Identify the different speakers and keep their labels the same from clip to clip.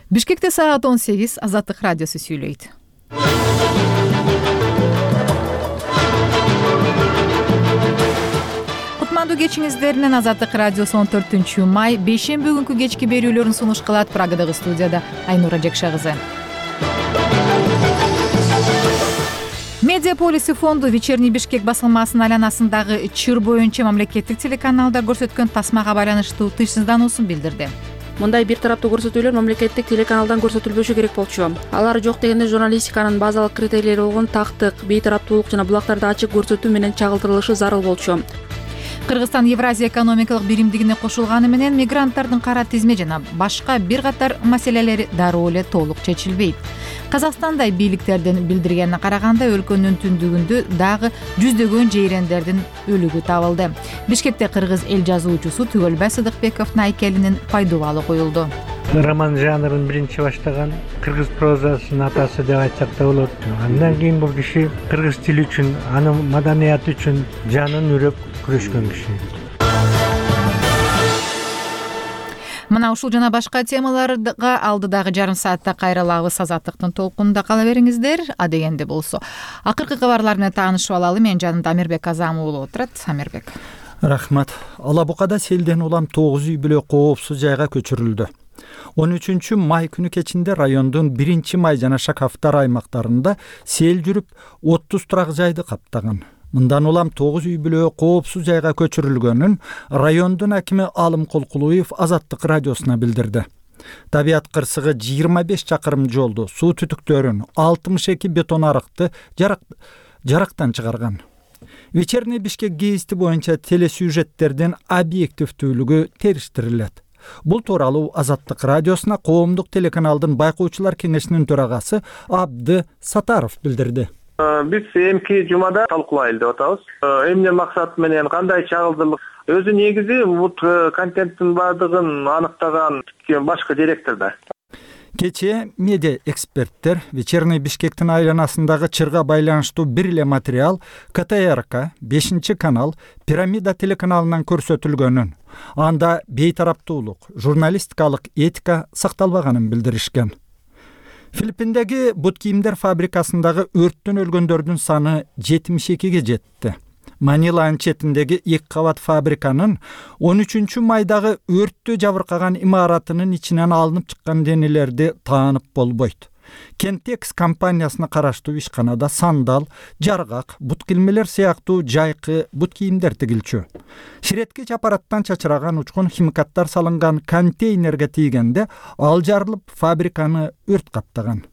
Speaker 1: Бишкекте саат 18 Азаттык радиосу сүйлөйт. Кутмандуу кечиңиздер менен Азаттык радиосу 14-май бейшемби күнкү кечки берүүлөрүн сунуш кылат. Прагадагы студияда Айнура Жекша кызы. Медиаполиси фонду Вечерний Бишкек басылмасынын айланасындагы чыр боюнча мамлекеттик телеканалда көрсөткөн тасмага байланыштуу тынчсыздануусун билдирди.
Speaker 2: Мындай бир тараптуу көрсөтүүлөр мамлекеттик телеканалдан көрсөтүлбөшү керек болчу. Алар жок дегенде журналистиканын базалык критерийлери болгон тактык, бейтараптуулук жана булактарды ачык көрсөтүү менен чагылдырылышы зарыл болчу.
Speaker 1: Кыргызстан Евразия экономикалык биримдигине кошулганы менен мигранттардын кара тизме жана башка бир катар маселелери дароо эле толук чечилбейт. Казакстандай бийликтердин билдиргенине караганда өлкөнүн түндүгүндө дагы жүздөгөн жейрендердин өлүгү табылды. Бишкекте кыргыз эл жазуучусу Түгөлбай Сыдыкбековдун айкелинин пайдубалы коюлду.
Speaker 3: Роман жанрын биринчи баштаган кыргыз прозасынын атасы деп айтсак да болот. Андан кийин бул киши кыргыз тили үчүн, анын маданияты үчүн жанын үрөп күрөшкөн киши.
Speaker 1: Мына ушул жана башка темаларга алдыдагы жарым саатта кайрылабыз. Азаттыктын толкунунда кала бериңиздер. А дегенде болсо акыркы кабарлар менен таанышып алалы. Менин жанымда Амирбек Азам уулу отурат. Амирбек.
Speaker 4: Рахмат. Ала Букада селден улам 9 үй бүлө коопсуз жайга көчүрүлдү. 13-май күнү кечинде райондун 1-май жана Шакафтар аймактарында сел жүрүп 30 турак жайды каптаган. Мындан улам 9 үй бүлө коопсуз жайга көчүрүлгөнүн райондун акими Алым Колкулуев Азаттык радиосуна билдирди. Табият кырсыгы 25 чакырым жолду, суу түтүктөрүн, 62 бетон арыкты жарактан чыгарган. Вечерний Бишкек гезити боюнча телесюжеттердин объективдүүлүгү териштирилет. Бул тууралуу Азаттык радиосуна Коомдук телеканалдын байкоочулар кеңешинин төрагасы Абды Сатаров билдирди.
Speaker 5: Биз эмки жумада талкуулайлы деп атабыз. Эмне максат менен кандай чагылдырлык өзү негизи бул контенттин баардыгын аныктаган башкы директорда.
Speaker 4: Кечээ медиа эксперттер Вечерний Бишкектин айланасындагы чырга байланыштуу бир эле материал КТРК 5-канал Пирамида телеканалынан көрсөтүлгөнүн, анда бейтараптуулук, журналистикалык этика сакталбаганын билдиришкен. Филиппиндеги бут кийимдер фабрикасындагы өрттөн өлгөндөрдүн саны 72-ге жетти. Маниланын четиндеги 2 кабат фабриканын 13-майдагы өрттө жабыркаган имаратынын ичинен алынып чыккан денелерди таанып болбойт. Кентекс компаниясына караштуу ишканада сандал, жаргак, бут килмелер сыяктуу жайкы бут кийимдер тигилчү. Ширеткеч аппараттан чачыраган учкун химикаттар салынган контейнерге тийгенде ал жарылып фабриканы өрт каптаган.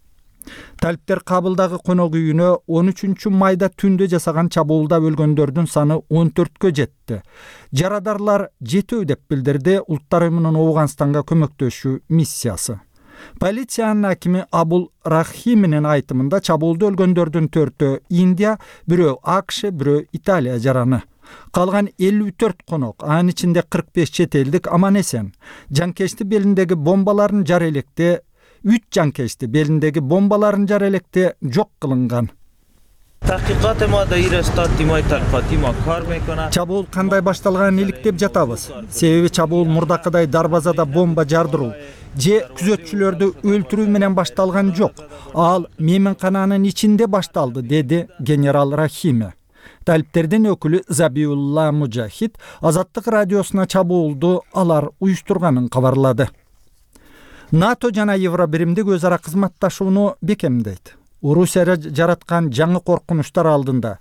Speaker 4: Талиптер Кабылдагы конок үйүнө 13-майда түндө жасаган чабуулда өлгөндөрдүн саны 14кө жетти. Жарадарлар жетөө деп билдирди Улуттар уюмунун Ооганстанга көмөктөшүү миссиясы. Полициянын акими Абул Рахиминин айтымында чабуулда өлгөндөрдүн 4-өө Индия, бирөө АКШ, бирөө Италия жараны. Калган 54 конок, анын ичинде 45 чет элдик аман эсен. Жанкечти белиндеги бомбаларын жара электе 3 жанкечти белиндеги бомбаларын жара электе жок кылынган. Чабуул кандай башталганын иликтеп жатабыз. Себеби чабуул мурдакыдай дарбазада бомба жардыруу же күзөтчүлөрдү өлтүрүү менен башталган жок. Ал мейманкананын ичинде башталды, деди генерал Рахиме. Талиптердин өкүлү Забиулла Мужахид Азаттык радиосуна чабуулду алар уюштурганын кабарлады. НАТО жана Евробиримдик өз ара кызматташууну бекемдейт. Орусия жараткан жаңы коркунучтар алдында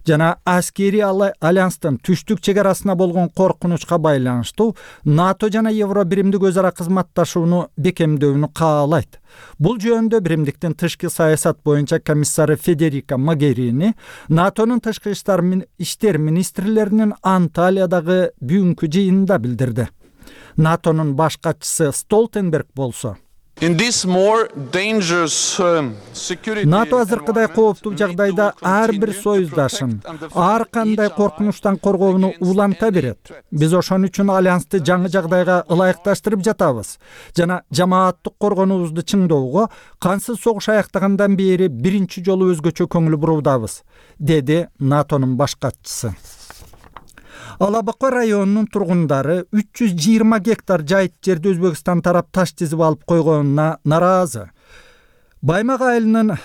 Speaker 4: жана аскери альянстын түштүк чегарасына болгон коркунучка байланыштуу НАТО жана Евробиримдик өз ара кызматташууну бекемдөөнү каалайт. Бул жөнүндө Биримдиктин тышкы саясат боюнча комиссары Федерика Могерини НАТОнун тышкы иштер министрлеринин Анталиядагы бүгүнкү жыйынында билдирди. НАТОнун баш катчысы Столтенберг болсо НАТО азыркыдай кооптуу жагдайда ар бир союздашын ар кандай коркунучтан коргоону уланта берет. Биз ошон үчүн альянсты жаңы жагдайга ылайыкташтырып жатабыз жана жамааттык коргонуубузду чыңдоого кансыз согуш аяктагандан бери биринчи жолу өзгөчө көңүл буруудабыз, деди НАТОнун баш катчысы. Ала Бака районунун тургундары 320 гектар жайыт жерди Өзбекстан тарап таш тизип алып койгонуна нааразы. Баймак айылынын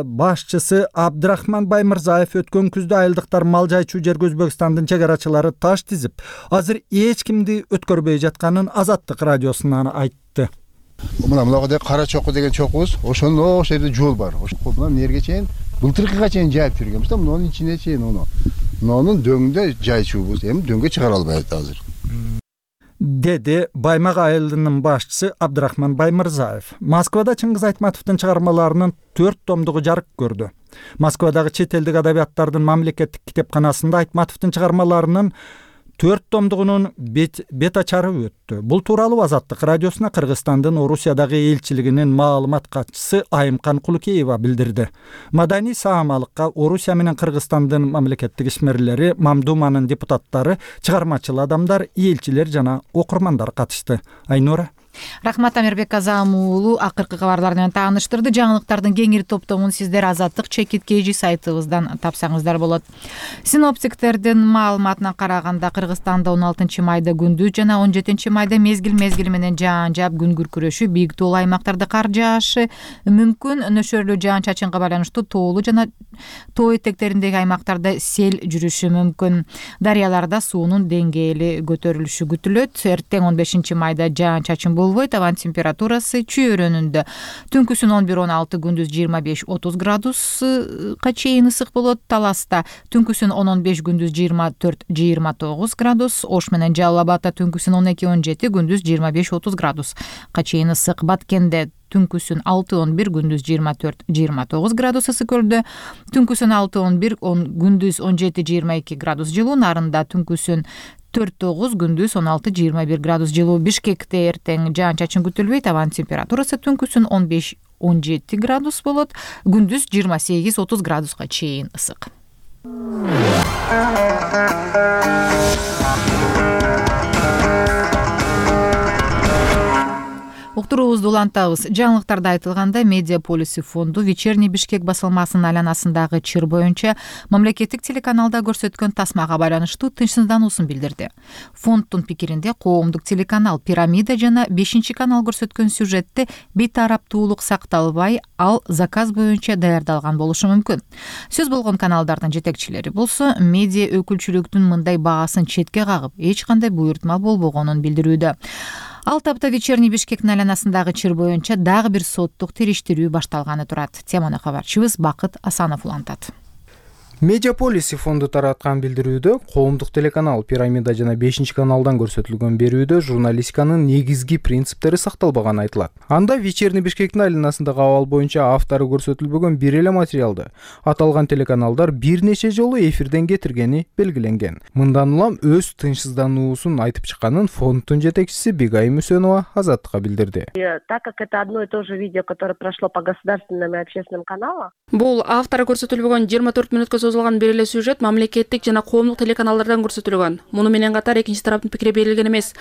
Speaker 4: башчысы Абдрахман Баймырзаев өткөн күздө айылдыктар мал жайчуу жерге Өзбекстандын чегарачылары таш тизип, азыр эч кимди өткөрбөй жатканын Азаттык радиосуна айтты.
Speaker 6: Мына кара чокку деген чокубуз, ошондо жерде жол бар. Мына нерге чейин, былтыркыга чейин жайып жүргөнбүз да, мунун ичине чейин мунун дөңүндө жайчуубуз. Эми дөңгө чыгара албайт азыр.
Speaker 4: Деди Баймак айылынын башчысы Абдрахман Баймырзаев. Москвада Чыңгыз Айтматовдун чыгармаларынын 4 томдугу жарык көрдү. Москвадагы чет элдик адабияттардын мамлекеттик китепканасында Айтматовдун чыгармаларынын 4 томдугунун бет ачары өттү. Бул тууралуу Азаттык радиосуна Кыргызстандын Орусиядагы элчилигинин маалымат катчысы Айымкан Кулукеева билдирди. Маданий саамалыкка Орусия менен Кыргызстандын мамлекеттик ишмерлери, Мамдуманын депутаттары, чыгармачыл адамдар, элчилер жана окурмандар катышты. Айнура.
Speaker 1: Рахмат, Амирбек Азам уулу акыркы кабарлар менен тааныштырды. Жаңылыктардын кеңири топтомун сиздер Азаттык чекиткейжи сайтыбыздан тапсаңыздар болот. Синоптиктердин маалыматына караганда Кыргызстанда 16 майда күндүз жана 17 майда мезгил менен жаан жаап, күн күркүрөшү, бийик тоолуу аймактарда кар жаашы мүмкүн. Нөшөрлүү жаан-чачынга байланыштуу тоолуу жана тоо этектериндеги аймактарда сел жүрүшү мүмкүн. Дарыяларда суунун деңгээли көтөрүлүшү күтүлөт. Эртең 15 майда жаан-чачын болбойт. Абан температурасы чөйрөнүндө түнкүсүн 11-16, күндүз 25-30 градуска чейин ысык болот. Таласта түнкүсүн 10-15, күндүз 24-29 градус. Ош менен Жалал Абадта түнкүсүн 12-17, күндүз 25-30 градуска чейин ысык. Баткенде түнкүсүн 6-11, күндүз 24-29 градус. Ысык көлдө түнкүсүн 6-11, күндүз 17-22 градус жылуу. Нарында түнкүсүн 4-9, күндүз 16-21 градус жылуу. Бишкекте эртең жаан-чачын күтүлбөйт. Абан температурасы түнкүсүн 15-17 градус болот. Күндүз 28-30 градуска чейин ысык. Уктуруубузду улантабыз. Жаңылыктарда айтылгандай, Медиаполиси фонду Вечерний Бишкек басылмасынын айланасындагы чыр боюнча мамлекеттик телеканалда көрсөткөн тасмага байланыштуу тынчсыздануусун билдирди. Фонддун пикиринде, коомдук телеканал Пирамида жана 5-канал көрсөткөн сюжетте бейтараптуулук сакталбай, ал заказ боюнча даярдалган болушу мүмкүн. Сөз болгон каналдардын жетекчилери болсо, медиа өкүлчүлүктүн мындай баасын четке кагып, эч кандай буйртма болбогонун билдирүүдө. Ал тапта Вечерний Бишкектин айланасындагы чыр боюнча дагы бир соттук териштирүү башталганы турат. Теманы кабарчыбыз Бакыт Асанов улантат.
Speaker 7: Медиаполиси фонду тараткан билдирүүдө коомдук телеканал Пирамида жана 5-каналдан көрсөтүлгөн берүүдө журналистиканын негизги принциптери сакталбаганы айтылат. Анда Вечерний Бишкектин айланасындагы абал боюнча автору көрсөтүлбөгөн бир эле материалды аталган телеканалдар бир нече жолу эфирден кетиргени белгиленген. Мындан улам өз тынчсыздануусун айтып чыкканын фонддун жетекчиси Бегайым Үсөнова Азаттыкка билдирди.
Speaker 8: Так как это одно и то же видео, которое прошло по государственным и общественным каналам.
Speaker 2: Бул автору көрсөтүлбөгөн 24 мүнөткө созулган бир эле сюжет мамлекеттик жана коомдук телеканалдардан көрсөтүлгөн. Муну менен катар экинчи тараптын пикири берилген эмес.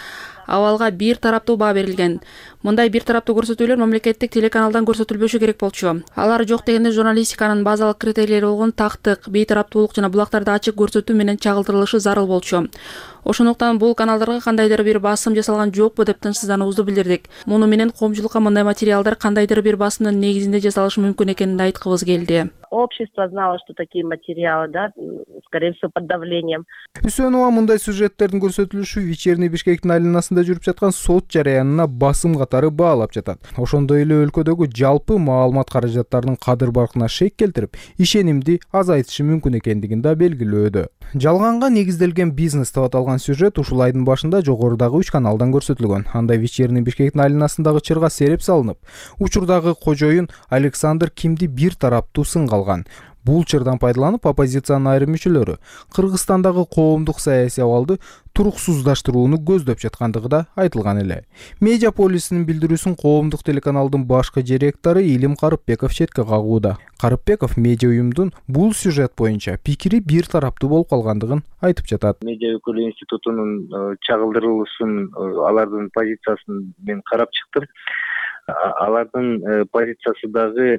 Speaker 2: Абалга бир тараптуу баа берилген. Мындай бир тараптуу көрсөтүүлөр мамлекеттик телеканалдан көрсөтүлбөшү керек болчу. Алар жок дегенде журналистиканын базалык критерийлери болгон тактык, бейтараптуулук жана булактарды ачык көрсөтүү менен чагылдырылышы зарыл болчу. Ошондуктан бул каналдарга кандайдыр бир басым жасалган жокпу деп тынчсыздануубузду билдирдик. Муну менен коомчулукка мындай материалдар кандайдыр бир басымдын негизинде жасалышы мүмкүн экенин айткыбыз келди.
Speaker 8: Общество знало, что такие материалы, да, скорее всего, под давлением.
Speaker 7: Үсөнова мындай сюжеттердин көрсөтүлүшү Вечерний Бишкектин айланасында жүрүп жаткан сот жараянына басым катары баалап жатат. Ошондой эле өлкөдөгү жалпы маалымат каражаттарынын кадыр баркына шек келтирип, ишенимди азайтышы мүмкүн экендигин да белгилөөдө. Жалганга негизделген бизнес деп аталган сюжет ушул айдын башында жогорудагы 3 каналдан көрсөтүлгөн. Анда Вечерний Бишкектин айланасындагы чырга сереп салынып, учурдагы кожоюн Александр Кимди бир тараптуу сынга алган. Бул чырдан пайдаланып, оппозициянын айрым мүчөлөрү Кыргызстандагы коомдук саясий абалды туруксуздаштырууну көздөп жаткандыгы да айтылган эле. Медиаполисинин билдирүүсүн коомдук телеканалдын башкы директору Илим Карыпбеков четке кагууда. Карыпбеков медиа уюмдун бул сюжет боюнча пикири бир тараптуу болуп калгандыгын айтып жатат.
Speaker 5: Медиа өкүлү институтунун чагылдырылышын, алардын позициясын мен карап чыктым. Алардын позициясы дагы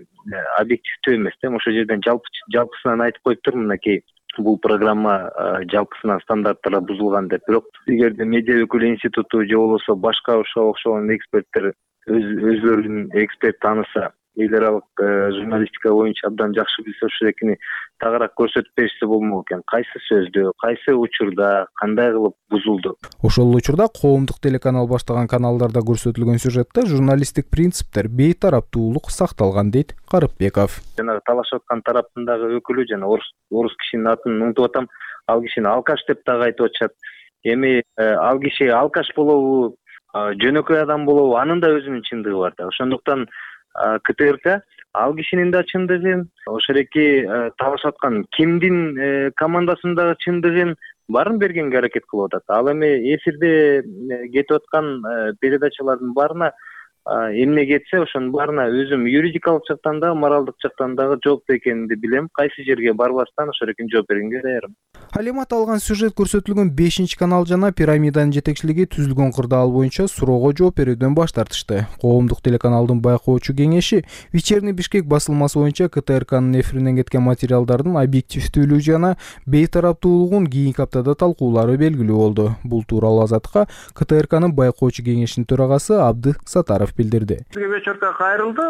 Speaker 5: объективдүү эмес да. Ошол жерден жалпысынан айтып коюп тур, мынакей
Speaker 9: бул программа жалпысынан стандарттары бузулган деп. Бирок эгерде медиа өкүлү институту же болбосо башка ошого окшогон эксперттер өзлөрүнүн эксперт тааныса, эл аралык журналистика боюнча абдан жакшы билсе, ошол экини тагыраак көрсөтүп беришсе болмок экен. Кайсы сөздө, кайсы учурда, кандай кылып бузулду?
Speaker 7: Ошол учурда коомдук телеканал баштаган каналдарда көрсөтүлгөн сюжетте журналисттик принциптер, бейтараптуулук сакталган, дейт Карыпбеков.
Speaker 9: Жанагы талашып аткан тараптын дагы өкүлү жана орус кишинин атын унутуп атам. Ал кишини алкаш деп дагы айтып атышат. Эми ал киши алкаш болобу, жөнөкөй адам болобу, анын да өзүнүн чындыгы бар да. Ошондуктан КТРК ал кишинин да чындыгын, ошол эки талашып аткан кимдин командасындагы чындыгын баарын бергенге аракет кылып атат. Ал эми эфирде кетип аткан передачалардын баарына эмне кетсе, ошонун баарына өзүм юридикалык жактан да, моралдык жактан дагы жооптуу экенимди билем. Кайсы жерге барбастан ошол экен жооп бергенге даярмын.
Speaker 7: Ал эми аталган сюжет көрсөтүлгөн 5-канал жана пирамиданын жетекчилиги түзүлгөн кырдаал боюнча суроого жооп берүүдөн баш тартышты. Коомдук телеканалдын байкоочу кеңеши Вечерний Бишкек басылмасы боюнча КТРКнын эфиринен кеткен материалдардын объективдүүлүгү жана бейтараптуулугун кийинки аптада талкуулары белгилүү болду. Бул тууралуу Азаттыкка КТРКнын байкоочу кеңешинин төрагасы Абды Сатаров билдирди.
Speaker 5: Бизге вечерка кайрылды.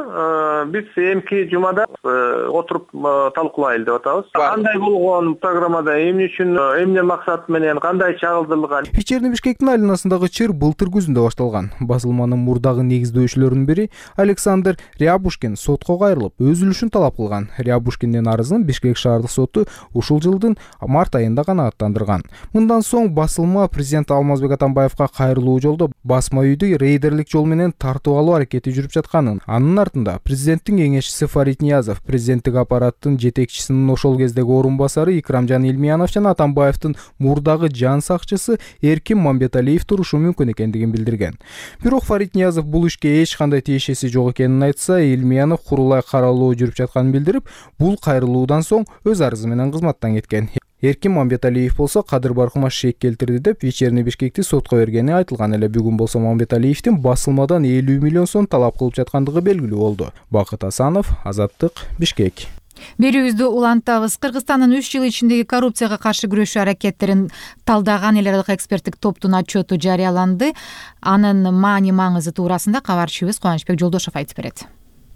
Speaker 5: Биз эмки жумада отуруп талкуулайлы деп атабыз. Кандай болгон программада, эмне үчүн, эмне максат менен, кандай чагылдырылган?
Speaker 7: Вечерний Бишкектин айланасындагы чыр былтыр күзүндө башталган. Басылманын мурдагы негиздөөчүлөрүнүн бири Александр Рябушкин сотко кайрылып, өз үлүшүн талап кылган. Рябушкиндин арызын Бишкек шаардык соту ушул жылдын март айында канааттандырган. Мындан соң басылма президент Алмазбек Атамбаевка кайрылуу жолдо басма үйдү рейдерлик жол менен тартып алуу аракети жүрүп жатканын, анын артында президенттин кеңешчиси Фарид Ниязов, президенттик аппараттын жетекчисинин ошол кездеги орун басары Икрамжан Илмиянов жана Атамбаевдин мурдагы жан сакчысы Эркин Мамбеталиев турушу мүмкүн экендигин билдирген. Бирок Фарид Ниязов бул ишке эч кандай тиешеси жок экенин айтса, Илмиянов курулай каралуу жүрүп жатканын билдирип, бул кайрылуудан соң өз арызы менен кызматтан кеткен. Эркин Мамбеталиев болсо кадыр баркыма шек келтирди деп Вечерний Бишкекти сотко бергени айтылган эле. Бүгүн болсо Мамбеталиевдин басылмадан 50 миллион сом талап кылып жаткандыгы белгилүү болду. Бакыт Асанов, Азаттык, Бишкек.
Speaker 1: Берүүбүздү улантабыз. Кыргызстандын 3 жыл ичиндеги коррупцияга каршы күрөшүү аракеттерин талдаган эл аралык эксперттик топтун отчету жарыяланды. Анын маани-маңызы туурасында кабарчыбыз Кубанычбек Жолдошов айтып берет.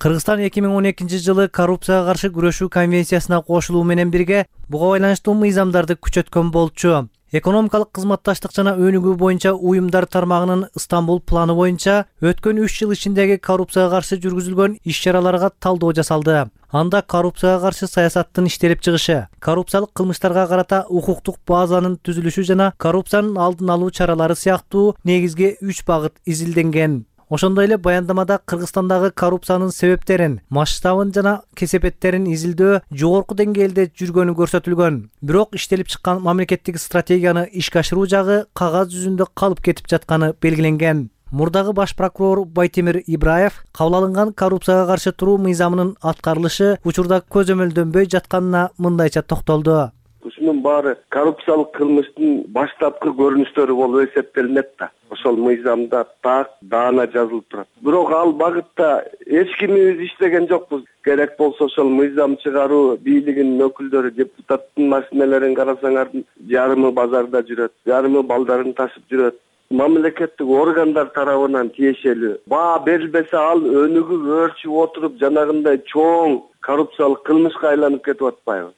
Speaker 10: Кыргызстан 2012 жылы коррупцияга каршы күрөшүү конвенциясына кошулуу менен бирге буга байланыштуу мыйзамдарды күчөткөн болчу. Экономикалык кызматташтык жана өнүгүү боюнча уюмдар тармагынын Стамбул планы боюнча өткөн 3 жыл ичиндеги коррупцияга каршы жүргүзүлгөн иш-чараларга талдоо жасалды. Анда коррупцияга каршы саясаттын иштелип чыгышы, коррупциялык кылмыштарга карата укуктук базанын түзүлүшү жана коррупциянын алдын алуу чаралары сыяктуу негизги 3 багыт изилденген. Ошондой эле баяндамада Кыргызстандагы коррупциянын себептерин, масштабын жана кесепеттерин изилдөө жогорку деңгээлде жүргөнү көрсөтүлгөн. Бирок иштелип чыккан мамлекеттик стратегияны ишке ашыруу жагы кагаз жүзүндө калып кетип жатканы белгиленген. Мурдагы баш прокурор Байтемир Ибраев кабыл алынган коррупцияга каршы туруу мыйзамынын аткарылышы учурда көзөмөлдөнбөй жатканына мындайча токтолду.
Speaker 11: Ушунун баары коррупциялык кылмыштын баштапкы көрүнүштөрү болуп эсептелинет да. Ошол мыйзамда так даана жазылып турат. Бирок ал багытта эч кимибиз иштеген жокпуз. Керек болсо ошол мыйзам чыгаруу бийлигинин өкүлдөрү, депутаттын машиналарын карасаңар, жарымы базарда жүрөт, жарымы балдарын ташып жүрөт. Мамлекеттик органдар тарабынан тиешелүү баа берилбесе, ал өнүгүп өөрчүп отуруп жанагындай чоң коррупциялык кылмышка айланып кетип атпайбы?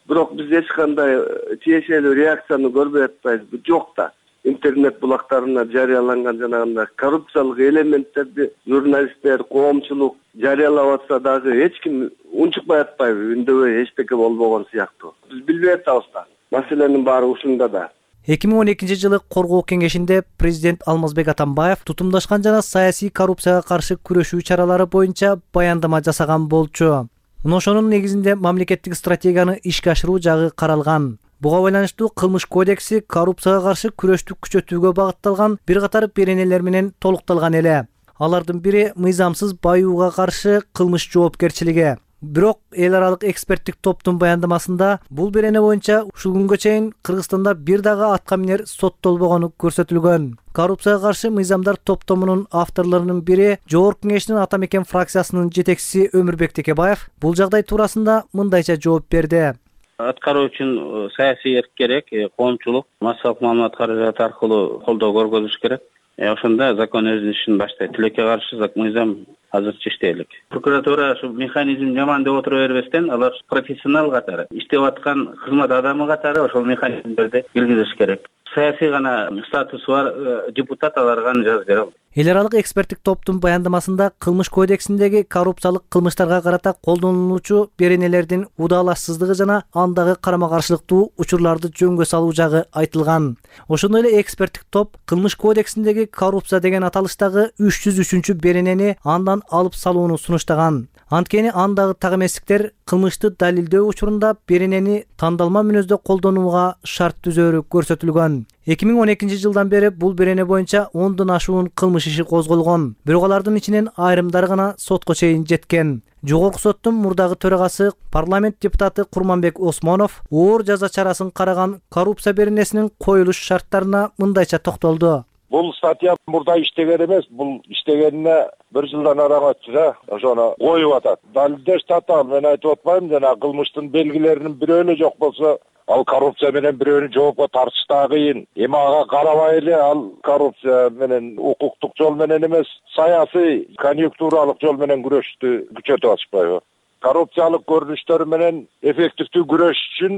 Speaker 11: Бирок биз эч кандай тиешелүү реакцияны көрбөй атпайбыз. Жок да. Интернет булактарына жарыяланган жанагындай коррупциялык элементтерди журналисттер, коомчулук жарыялап атса дагы эч ким унчукпай атпайбы, үндөбөй эчтеке болбогон сыяктуу. Биз билбей атабыз да. Маселенин баары ушунда да.
Speaker 10: 2012 жылы Коргоо кеңешинде президент Алмазбек Атамбаев тутумдашкан жана саясий коррупцияга каршы күрөшүү чаралары боюнча баяндама жасаган болчу. Ошонун негизинде мамлекеттик стратегияны ишке ашыруу жагы каралган. Буга байланыштуу кылмыш кодекси коррупцияга каршы күрөштү күчөтүүгө багытталган бир катар беренелер менен толукталган эле. Алардын бири мыйзамсыз баюуга каршы кылмыш жоопкерчилиги. Бирок эл аралык эксперттик топтун баяндамасында бул берене боюнча ушул күнгө чейин Кыргызстанда бир дагы атка минер соттолбогону көрсөтүлгөн. Коррупцияга каршы мыйзамдар топтомунун авторлорунун бири Жогорку Кеңештин Ата Мекен фракциясынын жетекчиси Өмүрбек Текебаев бул жагдай туурасында мындайча жооп берди.
Speaker 12: аткаруу үчүн саясий эрк керек, коомчулук массалык маалымат каражаты аркылуу колдоо көргөзүш керек. Ошондо закон өзүнүн ишин баштайт. Тилекке каршы мыйзам азырча иштей элек. Прокуратура ушу механизм жаман деп отура бербестен, алар профессионал катары, иштеп аткан кызмат адамы катары ошол механизмдерди киргизиш керек. Саясий гана статусу бар депутат аларга жазып бере алат.
Speaker 10: Эл аралык эксперттик топтун баяндамасында кылмыш кодексиндеги коррупциялык кылмыштарга карата колдонулуучу беренелердин удаалашсыздыгы жана андагы карама каршылыктуу учурларды жөнгө салуу жагы айтылган. Ошондой эле эксперттик топ кылмыш кодексиндеги коррупция деген аталыштагы 303 беренени андан алып салууну сунуштаган. Анткени андагы так эместиктер кылмышты далилдөө учурунда беренени тандалма мүнөздө колдонууга шарт түзөөрү көрсөтүлгөн. 2012 жылдан бери бул берене боюнча 10дон ашуун кылмыш иши козголгон. Бирок алардын ичинен айрымдары гана сотко чейин жеткен. Жогорку соттун мурдагы төрагасы парламент депутаты Курманбек Осмонов оор жаза чарасын караган коррупция беренесинин коюлуш шарттарына мындайча токтолду.
Speaker 13: Бул статья мурда иштеген эмес, бул иштегенине 1 жылдан араң өттү да, ошону коюп атат. Далилдеш татаал, мен айтып атпайм, жана кылмыштын белгилеринин бирөө эле жок болсо, ал коррупция менен бирөөнү жоопко тартыш да кыйын. Эми ага карабай эле ал коррупция менен укуктук жол менен эмес, саясий, конъюнктуралык жол менен күрөштү күчөтүп атышпайбы? Коррупциялык көрүнүштөр менен эффективдүү күрөш үчүн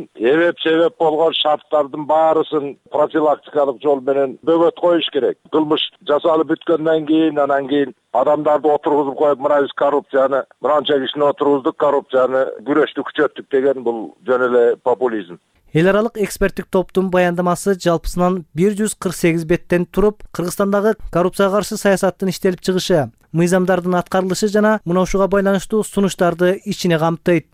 Speaker 13: себеп болгон шарттардын баарысын профилактикалык жол менен бөгөт коюш керек. Кылмыш жасалып бүткөндөн кийин, анан кийин адамдарды отургузуп коюп, мына биз коррупцияны, мынанча кишини отургуздук, коррупцияны күрөштү күчөттүк деген бул жөн эле популизм.
Speaker 10: Эл аралык эксперттик топтун баяндамасы жалпысынан 148 беттен туруп, Кыргызстандагы коррупцияга каршы саясаттын иштелип чыгышы, мыйзамдардын аткарылышы жана мына ушуга байланыштуу сунуштарды ичине камтыйт.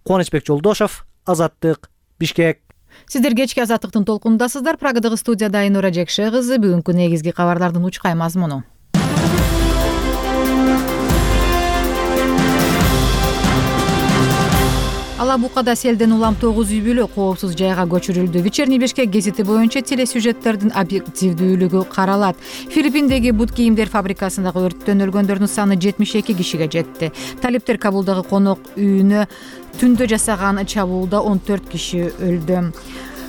Speaker 10: Кубанычбек Жолдошов, Азаттык, Бишкек.
Speaker 1: Сиздер кечки Азаттыктын толкунундасыздар. Прагадагы студияда Айнура Жекше кызы. Бүгүнкү негизги кабарлардын учкай мазмуну. Ала Букада селден улам 9 үй бүлө коопсуз жайга көчүрүлдү. Вечерний Бишкек гезити боюнча телесюжеттердин объективдүүлүгү каралат. Филиппиндеги бут кийимдер фабрикасындагы өрттөн өлгөндөрдүн саны 72 кишиге жетти. Талиптер Кабулдагы конок үйүнө түндө жасаган чабуулда 14 киши өлдү.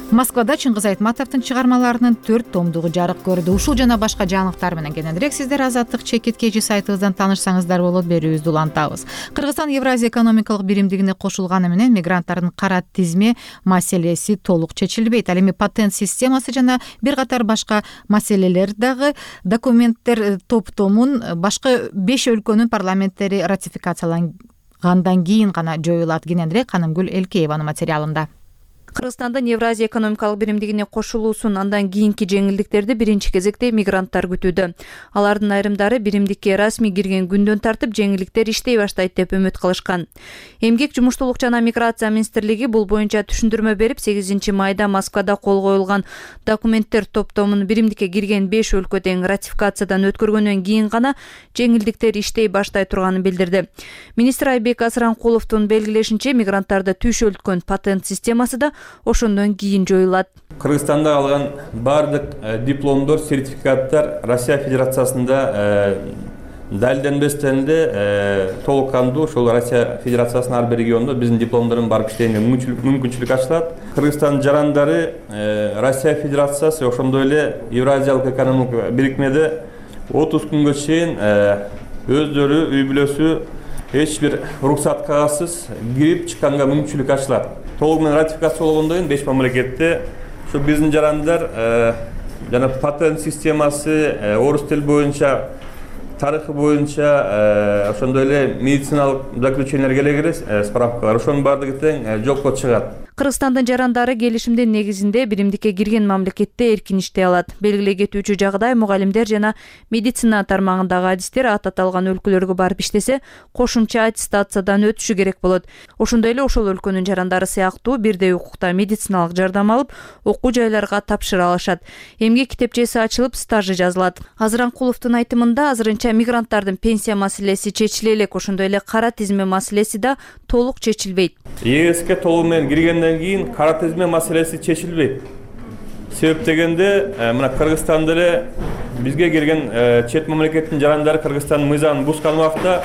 Speaker 1: Москвада Чыңгыз Айтматовдун чыгармаларынын 4 томдугу жарык көрдү. Ушул жана башка жаңылыктар менен кененирээк сиздер Азаттык чекиткечи сайтыбыздан таанышсаңыздар болот, берүүбүздү улантабыз. Кыргызстан Евразия экономикалык биримдигине кошулганы менен мигранттардын кара тизме маселеси толук чечилбейт. Ал эми патент системасы жана бир катар башка маселелер дагы документтер топтомун башка 5 өлкөнүн парламенттери ратификациялангандан кийин гана жоюлат. Кененирээк Канымгүл Элкееванын материалында.
Speaker 14: Кыргызстандын Евразия экономикалык биримдигине кошулуусун андан кийинки жеңилдиктерди биринчи кезекте мигранттар күтүүдө. Алардын айрымдары биримдикке расмий кирген күндөн тартып жеңилдиктер иштей баштайт деп үмүт кылышкан. Эмгек, жумуштуулук жана миграция министрлиги бул боюнча түшүндүрмө берип, 8 майда Москвада кол коюлган документтер топтомун биримдикке кирген 5 өлкө тең ратификациядан өткөргөндөн кийин гана жеңилдиктер иштей баштай турганын билдирди. Министр Айбек Асранкуловдун белгилешинче, мигранттарды түйшөлткөн патент системасы да ошондон кийин жоюлат.
Speaker 15: Кыргызстанда алган бардык дипломдор, сертификаттар Россия Федерациясында далилденбестен де толук кандуу ошол Россия Федерациясынын ар бир регионунда биздин дипломдордун барып иштегенге мүмкүнчүлүк ачылат. Кыргызстандын жарандары Россия Федерациясы ошондой эле Евразиялык экономикалык бирикмеде 30 күнгө чейин өздөрү үй бүлөсү эч бир уруксат кагазсыз кирип чыкканга мүмкүнчүлүк ачылат. Толук менен ратификациялангондон кийин 5 мамлекетте ушу биздин жарандар жана патент системасы, орус тил боюнча, тарыхы боюнча ошондой эле медициналык заключениелер келе справкалар ошонун баардыгы тең жокко чыгат.
Speaker 14: Кыргызстандын жарандары келишимдин негизинде биримдикке кирген мамлекетте эркин иштей алат. Белгилей кетүүчү жагдай, мугалимдер жана медицина тармагындагы адистер ат аталган өлкөлөргө барып иштесе, кошумча аттестациядан өтүшү керек болот. Ошондой эле ошол өлкөнүн жарандары сыяктуу бирдей укукта медициналык жардам алып, окуу жайларга тапшыра алышат. Эмгек китепчеси ачылып, стажы жазылат. Азыранкуловдун айтымында, азырынча мигранттардын пенсия маселеси чечиле элек, ошондой эле кара тизме маселеси да толук чечилбейт.
Speaker 15: ЕСке толук менен киргенден кийин кара тизме маселеси чечилбейт. Себеп дегенде, мына Кыргызстанда эле бизге кирген чет мамлекеттин жарандары Кыргызстандын мыйзамын бузган убакта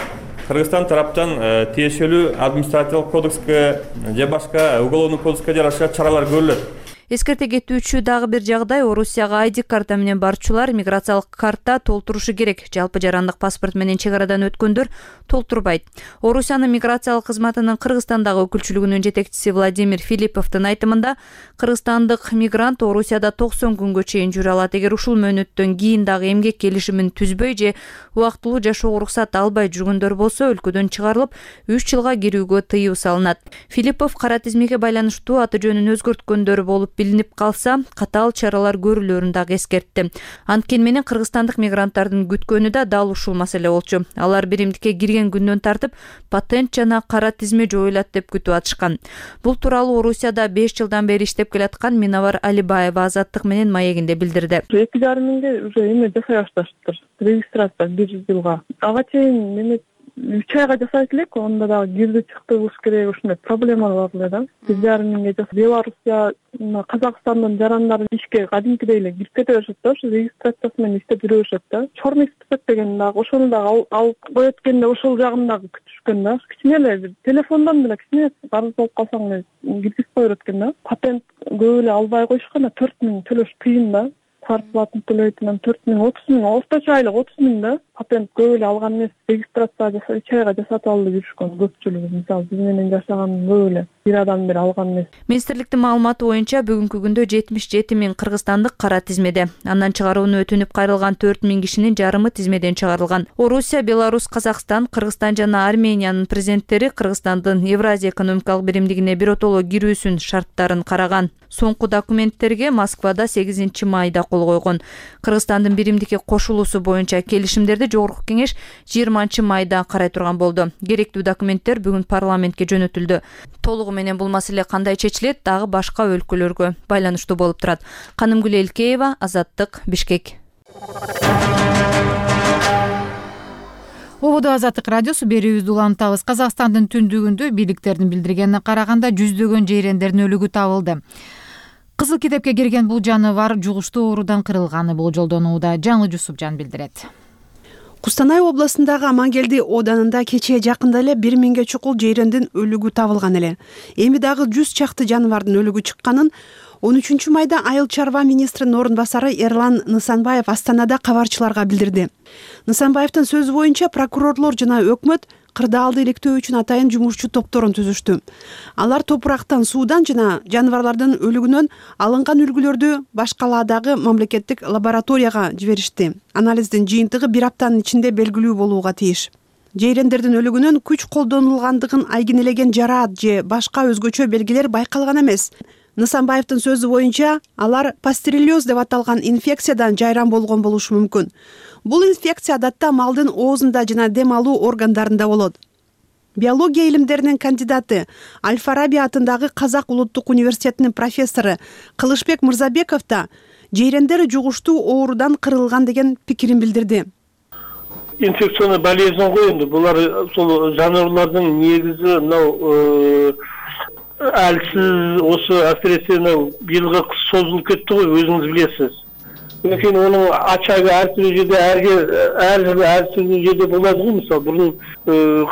Speaker 15: Кыргызстан тараптан тиешелүү административдик кодекске же башка уголовный кодекске жараша чаралар көрүлөт.
Speaker 14: Эскерте кетүүчү дагы бир жагдай, Орусияга ID карта менен барчулар миграциялык карта толтурушу керек. Жалпы жарандык паспорт менен чек арадан өткөндөр толтурбайт. Орусиянын миграциялык кызматынын Кыргызстандагы өкүлчүлүгүнүн жетекчиси Владимир Филипповдун айтымында, кыргызстандык мигрант Орусияда 90 күнгө чейин жүрө алат. Эгер ушул мөөнөттөн кийин дагы эмгек келишимин түзбөй же убактылуу жашоого уруксат албай жүргөндөр болсо, өлкөдөн чыгарылып 3 жылга кирүүгө тыюу салынат. Филиппов кара тизмеге байланыштуу аты жөнүн өзгөрткөндөр болуп билинип калса, катаал чаралар көрүлөрүн дагы эскертти. Анткени менен кыргызстандык мигранттардын күткөнү да дал ушул маселе болчу. Алар биримдикке кирген күндөн тартып патент жана кара тизме жоюлат деп күтүп атышкан. Бул тууралуу Орусияда 5 жылдан бери иштеп келаткан Миновар Алибаева Азаттык менен маегинде билдирди.
Speaker 16: 2,5 миңге уже эме жасай башташыптыр. Регистрация 1 жылга. Ага чейин эме 3 айга жасайт элек, онда дагы кирди чыкты болуш керек, ушундай проблемалар бар эле да. 1,5 миңге жасап, Беларусия, Казакстандын жарандары ишке кадимкидей эле кирип кете беришет да, ушу регистрациясы менен иштеп жүрө беришет да. Чормик список деген дагы ошону дагы алып коет экенде, ошол жагын дагы күтүшкөн да. Кичине эле бир телефондон эле кичине арыз болуп калсаң эле киргизип кое берет экен да. Патент көп эле албай коюшкан, 4 миң төлөш кыйын да. Квартплатын төлөйт, 4 миң, 30 миң, орточо айлык 30 миң да. Патент көп эле алган эмес, регистрация жасап, 2 айга жасатып алып жүрүшкөн көпчүлүгү. Мисалы, биз менен жашаган көп эле бир адам бир алган эмес.
Speaker 14: Министрликтин маалыматы боюнча бүгүнкү күндө 77 миң кыргызстандык кара тизмеде. Андан чыгарууну өтүнүп кайрылган 4 миң кишинин жарымы тизмеден чыгарылган. Орусия, Беларусь, Казакстан, Кыргызстан жана Армениянын президенттери Кыргызстандын Евразия экономикалык биримдигине биротоло кирүүсүнүн шарттарын караган. Соңку документтерге Москвада 8 майда кол койгон. Кыргызстандын биримдикке кошулуусу боюнча келишимдерди Жогорку кеңеш 20 майда карай турган болду. Керектүү документтер бүгүн парламентке жөнөтүлдү. Толугу менен бул маселе кандай чечилет, дагы башка өлкөлөргө байланыштуу болуп турат. Канымгүл Элкеева, Азаттык, Бишкек.
Speaker 1: Ободо Азаттык радиосу берүүбүздү улантабыз. Казакстандын түндүгүндө бийликтердин билдиргенине караганда жүздөгөн жейрендердин өлүгү табылды. Кызыл китепке кирген бул жаныбар жугуштуу оорудан кырылганы болжолдонууда. Жаңы Жусупжан билдирет.
Speaker 17: Кустанай областындагы Амангелди оданында кечээ жакында эле 1 миңге чукул жейрендин өлүгү табылган эле. Эми дагы 100 чакты жаныбардын өлүгү чыкканын 13 майда Айыл чарба министринин орун басары Эрлан Нысанбаев Астанада кабарчыларга билдирди. Нысанбаевдин сөзү боюнча прокурорлор жана өкмөт кырдаалды иликтөө үчүн атайын жумушчу топторун түзүштү. Алар топурактан, суудан жана жаныбарлардын өлүгүнөн алынган үлгүлөрдү башкаладагы мамлекеттик лабораторияга жиберишти. Анализдин жыйынтыгы 1 аптанын ичинде белгилүү болууга тийиш. Жейрендердин өлүгүнөн күч колдонулгандыгын айгинелеген жараат же башка өзгөчө белгилер байкалган эмес. Нысанбаевдин сөзү боюнча, алар пастереллез деп аталган инфекциядан жайран болгон болушу мүмкүн. Бул инфекция адатта малдын оозунда жана дем алуу органдарында болот. Биология илимдеринин кандидаты, Аль-Фараби атындагы Казак улуттук университетинин профессору Кылычбек Мырзабеков да жейрендер жугуштуу оорудан кырылган деген пикирин билдирди.
Speaker 18: Инфекционный болезнь го энди булар ошол жаныбарлардын негизи мынау әлсіз осы әсіресе биылғы қыс созылып кетті ғой, өзіңіз білесіз. Өйткені оның ачагы әртүрлі жерде әртүрлі жерде болады ғой, мысалы бұрын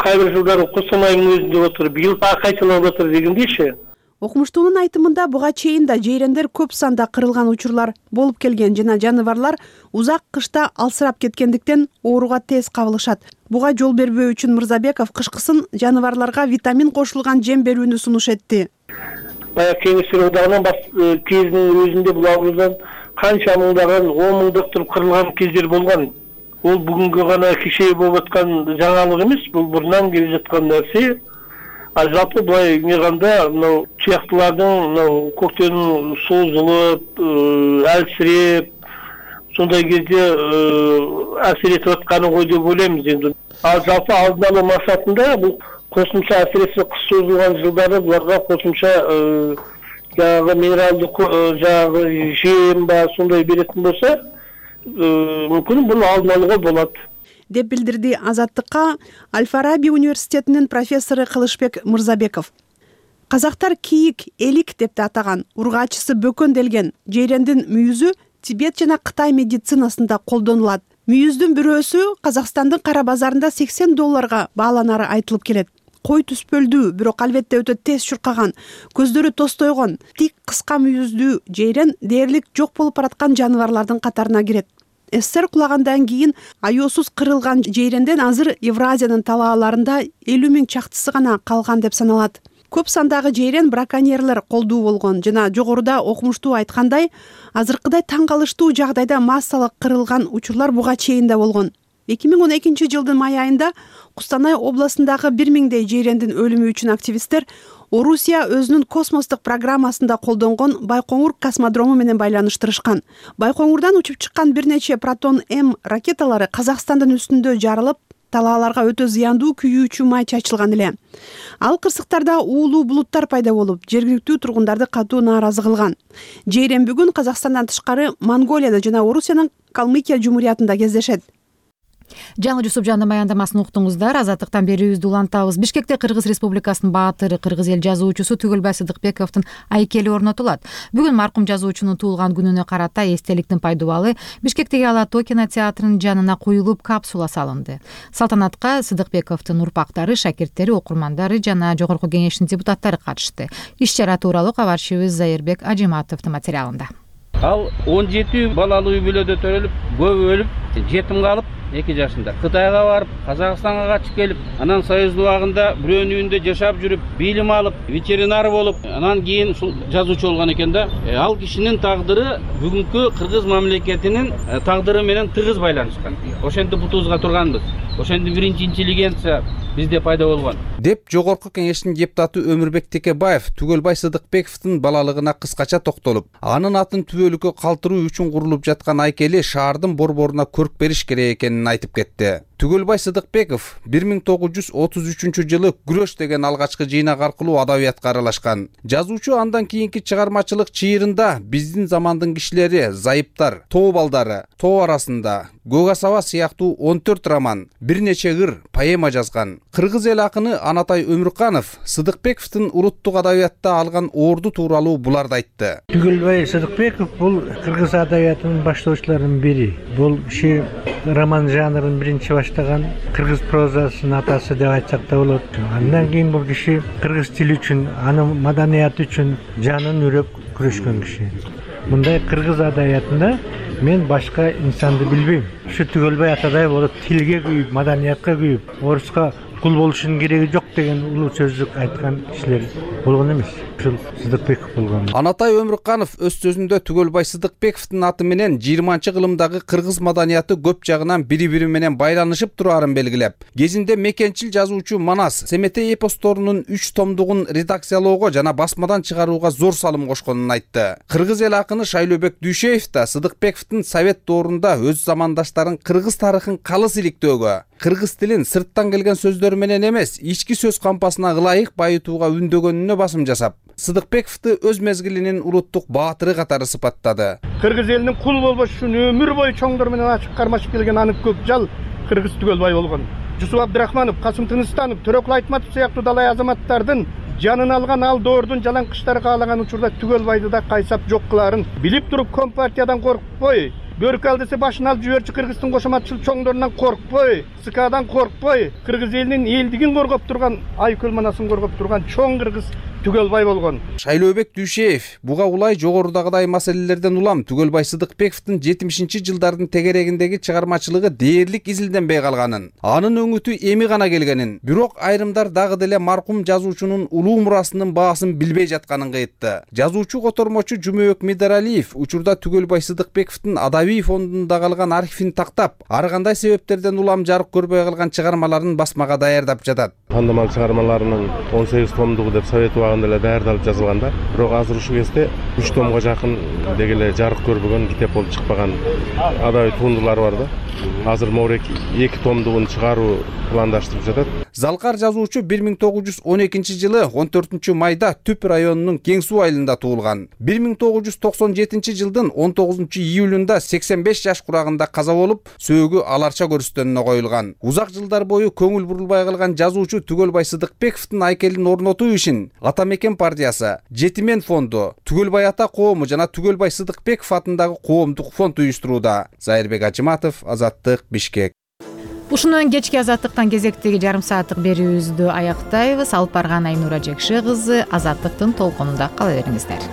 Speaker 18: қайбір жылдары Қостанайдың өзінде отыр, биыл қайталанып отыр дегендей ше.
Speaker 17: Окумуштуунун айтымында буга чейин да жейрендер көп санда кырылган учурлар болуп келген жана жаныбарлар узак кышта алсырап кеткендиктен ооруга тез кабылышат. Буга жол бербөө үчүн Мырзабеков кышкысын жаныбарларга витамин кошулган жем берүүнү сунуш этти.
Speaker 18: Баягы Кеңештер одагынан кезинин өзүндө бул оорудан канча мыңдаган 10 мыңдап кырылган кездер болгон. Ол бүгүнгү гана кичээ болуп аткан жаңалык эмес, бул бурунан келе жаткан нерсе. Жалпы былай мейганда мынау чыяктылардын көктөнүн созулуп, әлсиреп, сондай кезде әсер етіп атканы ғой деп ойлаймыз енді. Ал жалпы алдын алуу максатында бул кошумча әсіресе кыш созулган жылдары буларга кошумча жаңағы минералдык жаңағы жем ба сондай беретін болса, мүмкүн буну алдын алууга болот
Speaker 17: деп билдирди Азаттыкка Аль-Фараби университетинин профессору Кылычбек Мырзабеков. Казактар кийик, элик деп да атаган, ургаачысы бөкөнделген жейрендин мүйүзү Тибет жана Кытай медицинасында колдонулат. Мүйүздүн бирөөсү Казакстандын кара базарында $80 бааланары айтылып келет. Кой түспөлдүү, бирок албетте өтө тез чуркаган, көздөрү тостойгон, тик кыска мүйүздүү жейрен дээрлик жок болуп бараткан жаныбарлардын катарына кирет. СССР кулагандан кийин аёсуз кырылган жейренден азыр Евразиянын талааларында 50 000 чактысы гана калган деп саналат. Көп сандагы жейрен браконьерлер колдуу болгон жана жогоруда окумуштуу айткандай, азыркыдай таң калыштуу жагдайда массалык кырылган учурлар буга чейин да болгон. 2012 жылдын май айында Кустанай областындагы 1000дей жейрендин өлүмү үчүн активисттер Орусия өзүнүн космостук программасында колдонгон Байкоңур космодрому менен байланыштырышкан. Байкоңурдан учуп чыккан бир нече Протон-М ракеталары Казакстандын үстүндө жарылып, талааларга өтө зыяндуу күйүүчү май чачылган эле. Ал кырсыктарда уулуу булуттар пайда болуп, жергиликтүү тургундарды катуу нааразы кылган. Жейрен бүгүн Казакстандан тышкары Монголияда жана Орусиянын Калмыкия жумуриятында кездешет.
Speaker 1: Жаңы Жусупжандын баяндамасын уктуңуздар. Азаттыктан берүүбүздү улантабыз. Бишкекте Кыргыз Республикасынын баатыры, кыргыз эл жазуучусу Түгөлбай Сыдыкбековдун айкели орнотулат. Бүгүн маркум жазуучунун туулган күнүнө карата эстеликтин пайдубалы Бишкектеги Ала Тоо кинотеатрынын жанына коюлуп, капсула салынды. Салтанатка Сыдыкбековдун урпактары, шакирттери, окурмандары жана Жогорку Кеңештин депутаттары катышты. Иш-чара тууралуу кабарчыбыз Зайырбек Ажиматовдун материалында.
Speaker 12: Ал 17 балалуу үй бүлөдө төрөлүп, көбү өлүп, жетим калып, 2 жашында Кытайга барып, Казакстанга качып келип, анан Союздун убагында бирөөнүн үйүндө жашап жүрүп, билим алып, ветеринар болуп, анан кийин ушул жазуучу болгон экен да. Ал кишинин тагдыры бүгүнкү кыргыз мамлекетинин тагдыры менен тыгыз байланышкан. Ошентип бутубузга турганбыз. Ошентип биринчи интеллигенция бизде пайда болгон.
Speaker 19: Деп Жогорку Кеңештин депутаты Өмүрбек Текебаев Түгөлбай Сыдыкбековдун балалыгына кыскача токтолуп, анын атын түбөлүккө калтыруу үчүн курулуп жаткан айкели шаардын борборуна көрк бериш керек экенин айтып кетти. Түгөлбай Сыдыкбеков 1933 жылы Күрөш деген алгачкы жыйнак аркылуу адабиятка аралашкан. Жазуучу андан кийинки чыгармачылык чыйырында биздин замандын кишилери, зайыптар, тоо балдары, тоо арасында, Көк асаба сыяктуу 14 роман, бир нече ыр, поэма жазган. Кыргыз эл акыны Анатай Өмүрканов Сыдыкбековдун улуттук адабиятта алган орду тууралуу буларды айтты.
Speaker 3: Түгөлбай Сыдыкбеков бул кыргыз адабиятынын баштоочуларынын бири. Бул киши роман жанрын биринчи баштаган, кыргыз прозасынын атасы деп айтсак да болот. Андан кийин бул киши кыргыз тили үчүн, анын маданияты үчүн жанын үрөп күрөшкөн киши. Мындай кыргыз адабиятында мен башка инсанды билбейм. Ушу Түгөлбай атадай болуп тилге күйүп, маданиятка күйүп, оруска кул болушунун кереги жок деген улуу сөздүк айткан кишилер болгон эмес. Ушул Сыдыкбеков болгон.
Speaker 19: Анатай Өмүрканов өз сөзүндө Түгөлбай Сыдыкбековдун аты менен 20-кылымдагы кыргыз маданияты көп жагынан бири-бири менен байланышып турарын белгилеп, кезинде мекенчил жазуучу Манас Семетей эпосторунун 3 томдугун редакциялоого жана басмадан чыгарууга зор салым кошконун айтты. Кыргыз эл акыны Шайлообек Дүйшеев да Сыдыкбековдун Совет доорунда өз замандаштарын кыргыз тарыхын калыс иликтөөгө, кыргыз тилин сырттан келген сөздөр менен эмес, ички сөз кампасына ылайык байытууга үндөгөнүнө басым жасап, Сыдыкбековду өз мезгилинин улуттук баатыры катары сыпаттады.
Speaker 20: Кыргыз элинин кул болбош үчүн өмүр бою чоңдор менен ачык кармашып келген анын көк жал кыргыз Түгөлбай болгон. Жусуп Абдрахманов, Касым Тыныстанов, Төрөкул Айтматов сыяктуу далай азаматтардын жанын алган ал доордун жалаңкычтары каалаган учурда Түгөлбайды да кайсап жок кылаарын билип туруп Компартиядан коркпой, бөркү ал десе башын алып жиберчү кыргыздын кошоматчыл чоңдорунан коркпой, СКдан коркпой, кыргыз элинин элдигин коргоп турган, айкөл манасын коргоп турган чоң кыргыз Түгөлбай болгон.
Speaker 19: Шайлообек Дүйшеев буга улай жогорудагыдай маселелерден улам Түгөлбай Сыдыкбековдун 70-жылдардын тегерегиндеги чыгармачылыгы дээрлик изилденбей калганын, анын өңүтү эми гана келгенин, бирок айрымдар дагы деле маркум жазуучунун улуу мурасынын баасын билбей жатканын кайтты. Жазуучу котормочу Жумабек Мидаралиев учурда Түгөлбай Сыдыкбековдун адабий фондунда калган архивин тактап, ар кандай себептерден улам жарык көрбөй калган чыгармаларын басмага даярдап жатат.
Speaker 21: Кандамал чыгармаларынын 18 томдугу деп Совет убагында эле даярдалып жазылган да. Бирок азыр ушул кезде 3 томго жакын деги эле жарык көрбөгөн, китеп болуп чыкпаган адабий туындулар бар да. Азыр могурек 2 томдугун чыгаруу пландаштырып жатат.
Speaker 19: Залкар жазуучу 1912 жылы 14 майда Түп районунун Кең суу айылында туулган. 1997 жылдын 19 июлунда 85 жаш курагында каза болуп, сөөгү аларча көрүстөнүнө коюлган. Узак жылдар бою көңүл бурулбай калган жазуучу Түгөлбай Сыдыкбековдун айкелин орнотуу ишин ата Ата мекен партиясы, Жетимен фонду, Түгөлбай ата коому жана Түгөлбай Сыдыкбеков атындагы коомдук фонд уюштурууда. Зайырбек Ажыматов, Азаттык, Бишкек.
Speaker 1: Ушуну менен кечки Азаттыктан кезектеги жарым сааттык берүүбүздү аяктайбыз. Алып барган Айнура Жекше кызы Азаттыктын толкунунда кала бериңиздер.